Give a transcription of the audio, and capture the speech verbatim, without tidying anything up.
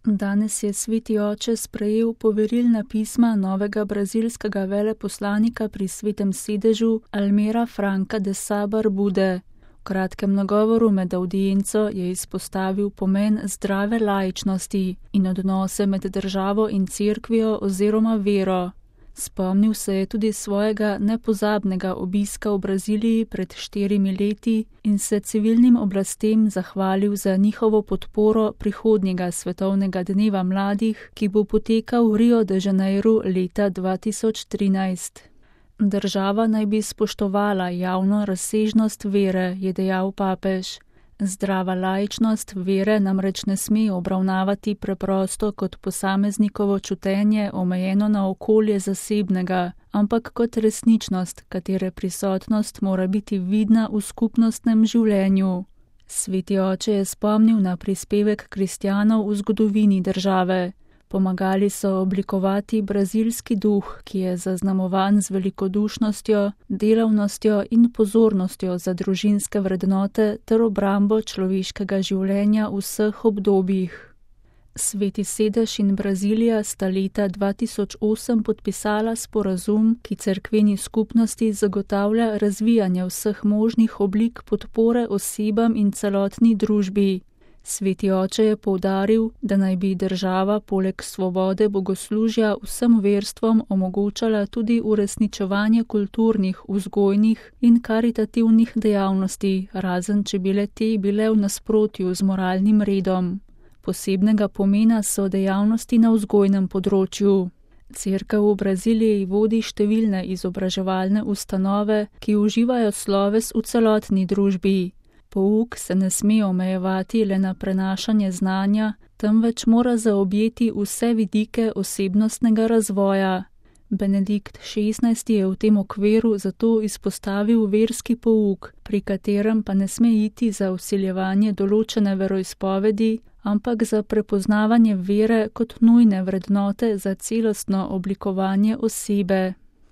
Danes je sveti oče sprejel poverilna pisma novega brazilskega veleposlanika pri Svetem sedežu Almira Franca de Sá Barbude. V kratkem nagovoru med avdienco je izpostavil pomen zdrave laičnosti in odnose med državo in cerkvijo oziroma vero. Spomnil se je tudi svojega nepozabnega obiska v Braziliji pred štirimi leti in se civilnim oblastem zahvalil za njihovo podporo prihodnjega svetovnega dneva mladih, ki bo potekal v Rio de Janeiru leta dva tisoč trinajst. Država naj bi spoštovala javno razsežnost vere, je dejal papež. Zdrava laičnost vere namreč ne sme obravnavati preprosto kot posameznikovo čutenje omejeno na okolje zasebnega, ampak kot resničnost, katere prisotnost mora biti vidna v skupnostnem življenju. Sveti oče je spomnil na prispevek kristjanov v zgodovini države. Pomagali so oblikovati brazilski duh, ki je zaznamovan z velikodušnostjo, delavnostjo in pozornostjo za družinske vrednote ter obrambo človeškega življenja v vseh obdobjih. Sveti sedež in Brazilija sta leta dva tisoč osem podpisala sporazum, ki cerkveni skupnosti zagotavlja razvijanje vseh možnih oblik podpore osebam in celotni družbi. Sveti oče je poudaril, da naj bi država poleg svobode bogoslužja vsem verstvom omogočala tudi uresničevanje kulturnih, vzgojnih in karitativnih dejavnosti, razen če bile te bile v nasprotju z moralnim redom. Posebnega pomena so dejavnosti na vzgojnem področju. Cerkev v Braziliji vodi številne izobraževalne ustanove, ki uživajo sloves v celotni družbi. Pouk se ne sme omejevati le na prenašanje znanja, temveč mora zaobjeti vse vidike osebnostnega razvoja. Benedikt šestnajsti je v tem okviru zato izpostavil verski pouk, pri katerem pa ne sme iti za vsiljevanje določene veroizpovedi, ampak za prepoznavanje vere kot nujne vrednote za celostno oblikovanje osebe.